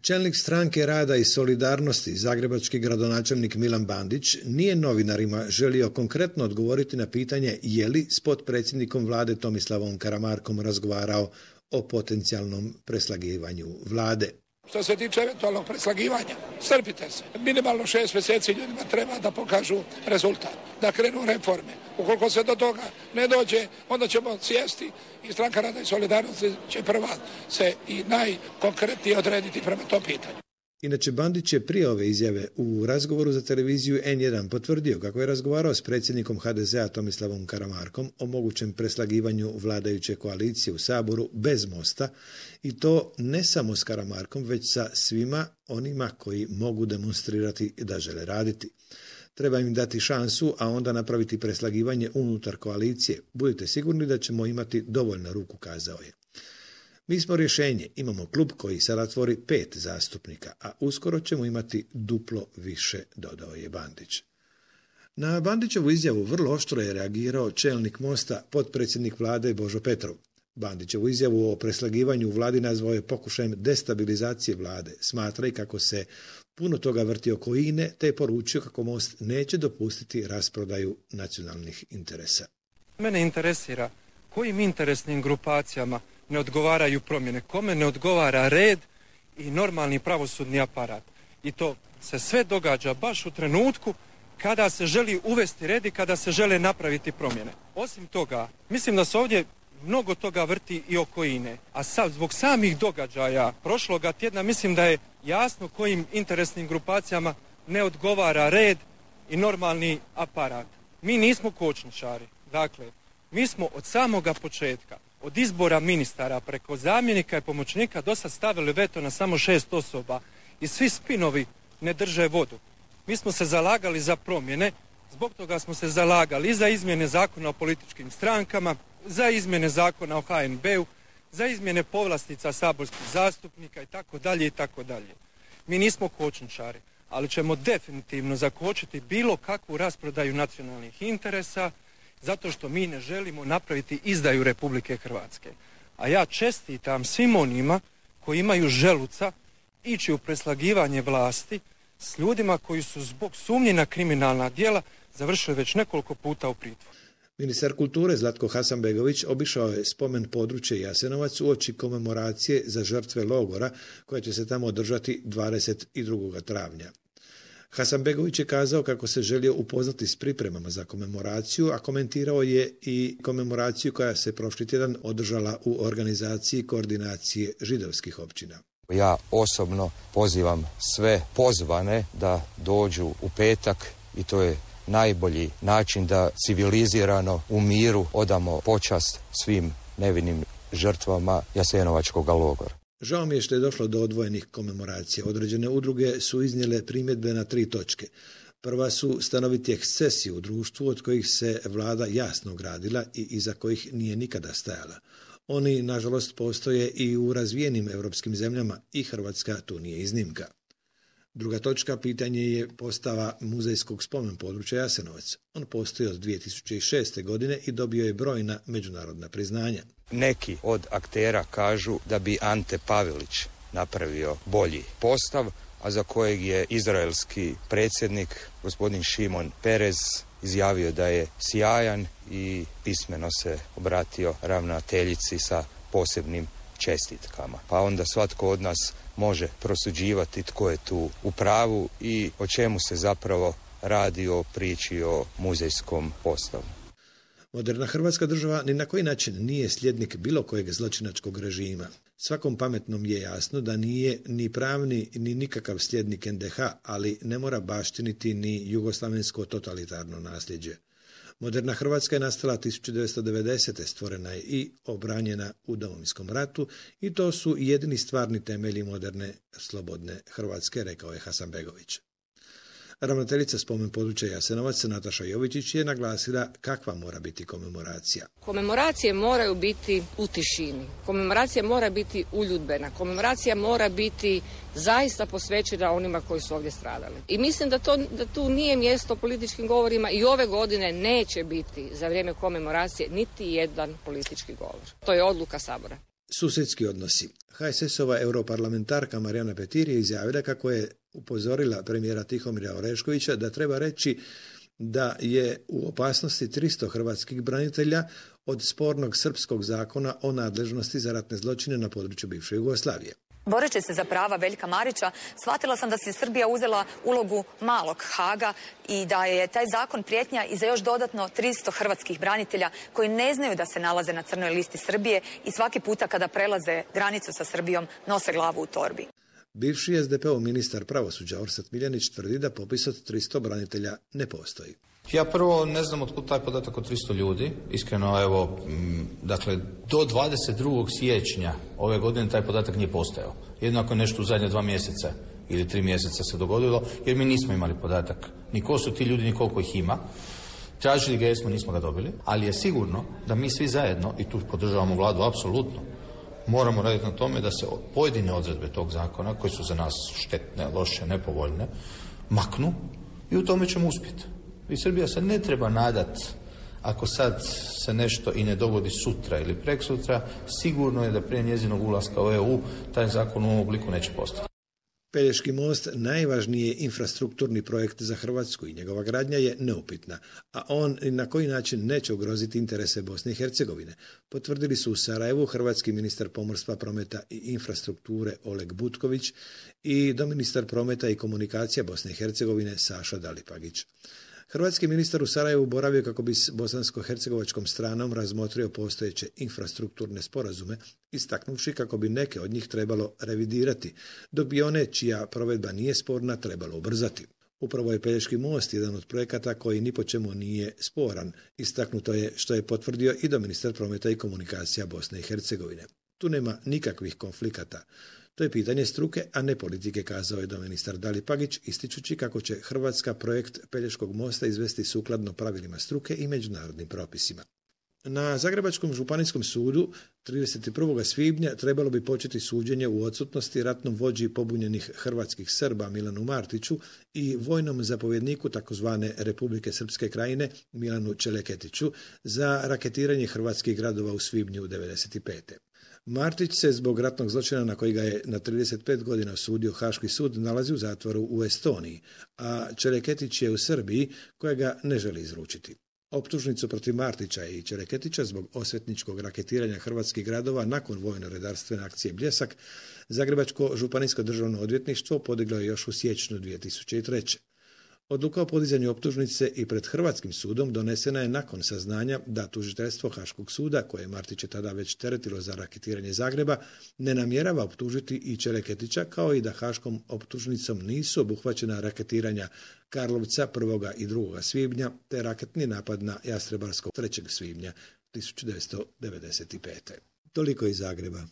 Čelnik Stranke rada i solidarnosti, zagrebački gradonačelnik Milan Bandić, nije novinarima želio konkretno odgovoriti na pitanje je li s potpredsjednikom vlade Tomislavom Karamarkom razgovarao o potencijalnom preslagivanju vlade. Što se tiče eventualnog preslagivanja, strpite se. Minimalno 6 mjeseci ljudima treba da pokažu rezultat, da krenu reforme. Ukoliko se do toga ne dođe, onda ćemo sjesti i Stranka rada i solidarnosti će prva se i najkonkretnije odrediti prema tom pitanju. Inače, Bandić je prije ove izjave u razgovoru za televiziju N1 potvrdio kako je razgovarao s predsjednikom HDZ-a Tomislavom Karamarkom o mogućem preslagivanju vladajuće koalicije u Saboru bez Mosta i to ne samo s Karamarkom, već sa svima onima koji mogu demonstrirati da žele raditi. Treba im dati šansu, a onda napraviti preslagivanje unutar koalicije. Budite sigurni da ćemo imati dovoljno ruku, kazao je. Mi smo rješenje, imamo klub koji sada tvori 5 zastupnika, a uskoro ćemo imati duplo više, dodao je Bandić. Na Bandićevu izjavu vrlo oštro je reagirao čelnik Mosta, potpredsjednik vlade Božo Petrov. Bandićevu izjavu o preslagivanju u vladi nazvao je pokušajem destabilizacije vlade. Smatra i kako se puno toga vrti oko INE, te je poručio kako Most neće dopustiti rasprodaju nacionalnih interesa. Mene interesira kojim interesnim grupacijama ne odgovaraju promjene, kome ne odgovara red i normalni pravosudni aparat. I to se sve događa baš u trenutku kada se želi uvesti red i kada se žele napraviti promjene. Osim toga, mislim da se ovdje mnogo toga vrti i oko INE. A sad, zbog samih događaja prošloga tjedna, mislim da je jasno kojim interesnim grupacijama ne odgovara red i normalni aparat. Mi nismo kočničari. Dakle, mi smo od samoga početka, od izbora ministara preko zamjenika i pomoćnika do sad stavili veto na samo 6 osoba i svi spinovi ne drže vodu. Mi smo se zalagali za promjene, zbog toga smo se zalagali i za izmjene zakona o političkim strankama, za izmjene zakona o HNB-u, za izmjene povlastica saborskih zastupnika itd. itd. Mi nismo kočničari, ali ćemo definitivno zakočiti bilo kakvu rasprodaju nacionalnih interesa, zato što mi ne želimo napraviti izdaju Republike Hrvatske. A ja čestitam svim onima koji imaju želuca ići u preslagivanje vlasti s ljudima koji su zbog sumnje na kriminalna djela završili već nekoliko puta u pritvoru. Ministar kulture Zlatko Hasanbegović obišao je spomen područje Jasenovac uoči komemoracije za žrtve logora koja će se tamo održati 22. travnja. Hasanbegović je kazao kako se želio upoznati s pripremama za komemoraciju, a komentirao je i komemoraciju koja se prošli tjedan održala u organizaciji koordinacije židovskih općina. Ja osobno pozivam sve pozvane da dođu u petak i to je najbolji način da civilizirano u miru odamo počast svim nevinim žrtvama Jasenovačkog logora. Žao mi je što je došlo do odvojenih komemoracija. Određene udruge su iznijele primjedbe na 3 točke. Prva su stanoviti ekscesi u društvu od kojih se vlada jasno ogradila i iza kojih nije nikada stajala. Oni, nažalost, postoje i u razvijenim europskim zemljama i Hrvatska tu nije iznimka. Druga točka, pitanje je postava muzejskog spomen područja Jasenovac. On postoji od 2006. godine i dobio je brojna međunarodna priznanja. Neki od aktera kažu da bi Ante Pavelić napravio bolji postav, a za kojeg je izraelski predsjednik, gospodin Šimon Perez, izjavio da je sjajan i pismeno se obratio ravnateljici sa posebnim čestitkama. Pa onda svatko od nas može prosuđivati tko je tu u pravu i o čemu se zapravo radi o priči o muzejskom postavu. Moderna Hrvatska država ni na koji način nije sljednik bilo kojeg zločinačkog režima. Svakom pametnom je jasno da nije ni pravni ni nikakav sljednik NDH, ali ne mora baštiniti ni jugoslavensko totalitarno nasljeđe. Moderna Hrvatska je nastala 1990. stvorena je i obranjena u Domovinskom ratu i to su jedini stvarni temelji moderne, slobodne Hrvatske, rekao je Hasanbegović. Ravnateljica spomen područja Jasenovac Nataša Jovičić je naglasila kakva mora biti komemoracija. Komemoracije moraju biti u tišini. Komemoracija mora biti uljudbena. Komemoracija mora biti zaista posvećena onima koji su ovdje stradali. I mislim da tu nije mjesto političkim govorima i ove godine neće biti za vrijeme komemoracije niti jedan politički govor. To je odluka Sabora. Susjedski odnosi. HSS-ova europarlamentarka Marijana Petir je izjavila kako je upozorila premijera Tihomira Oreškovića da treba reći da je u opasnosti 300 hrvatskih branitelja od spornog srpskog zakona o nadležnosti za ratne zločine na području bivše Jugoslavije. Boreći se za prava Veljka Marića, shvatila sam da si Srbija uzela ulogu malog Haga i da je taj zakon prijetnja i za još dodatno 300 hrvatskih branitelja koji ne znaju da se nalaze na crnoj listi Srbije i svaki puta kada prelaze granicu sa Srbijom nose glavu u torbi. Bivši SDP-ov ministar pravosuđa Orsat Miljanić tvrdi da popis od 300 branitelja ne postoji. Ja prvo ne znam otkud taj podatak od 300 ljudi. Iskreno, evo, dakle, do 22. siječnja ove godine taj podatak nije postojao. Jednako nešto u zadnje 2 mjeseca ili 3 mjeseca se dogodilo, jer mi nismo imali podatak ni ko su ti ljudi, ni koliko ih ima. Tražili ga jesmo, nismo ga dobili, ali je sigurno da mi svi zajedno, i tu podržavamo vladu apsolutno, moramo raditi na tome da se pojedine odredbe tog zakona, koje su za nas štetne, loše, nepovoljne, maknu i u tome ćemo uspjeti. I Srbija se ne treba nadat, ako sad se nešto i ne dogodi sutra ili preksutra, sigurno je da prije njezinog ulaska u EU taj zakon u ovom obliku neće postati. Pelješki most najvažniji je infrastrukturni projekt za Hrvatsku i njegova gradnja je neupitna, a on na koji način neće ugroziti interese Bosne i Hercegovine, potvrdili su u Sarajevu hrvatski ministar pomorstva, prometa i infrastrukture Oleg Butković i doministar prometa i komunikacija Bosne i Hercegovine Saša Dalipagić. Hrvatski ministar u Sarajevu boravio kako bi s bosansko-hercegovačkom stranom razmotrio postojeće infrastrukturne sporazume, istaknuvši kako bi neke od njih trebalo revidirati, dok bi one čija provedba nije sporna trebalo ubrzati. Upravo je Pelješki most jedan od projekata koji ni po čemu nije sporan, istaknuto je što je potvrdio i doministar prometa i komunikacija Bosne i Hercegovine. Tu nema nikakvih konflikata. To je pitanje struke, a ne politike, kazao je doministar Dalipagić, ističući kako će Hrvatska projekt Pelješkog mosta izvesti sukladno pravilima struke i međunarodnim propisima. Na Zagrebačkom županijskom sudu 31. svibnja trebalo bi početi suđenje u odsutnosti ratnom vođi pobunjenih hrvatskih Srba Milanu Martiću i vojnom zapovjedniku takozvane Republike Srpske krajine Milanu Čeleketiću za raketiranje hrvatskih gradova u svibnju 1995. Martić se zbog ratnog zločina na koji ga je na 35 godina osudio Haški sud nalazi u zatvoru u Estoniji, a Čeleketić je u Srbiji koja ga ne želi izručiti. Optužnicu protiv Martića i Čeleketića zbog osvetničkog raketiranja hrvatskih gradova nakon vojno-redarstvene akcije Bljesak Zagrebačko županijsko državno odvjetništvo podiglo je još u siječnju 2003. Odluka o podizanju optužnice i pred Hrvatskim sudom donesena je nakon saznanja da tužiteljstvo Haškog suda, koje Martić je tada već teretilo za raketiranje Zagreba, ne namjerava optužiti i Čeleketića, kao i da Haškom optužnicom nisu obuhvaćena raketiranja Karlovca 1. i 2. svibnja te raketni napad na Jastrebarsko 3. svibnja 1995. Toliko iz Zagreba.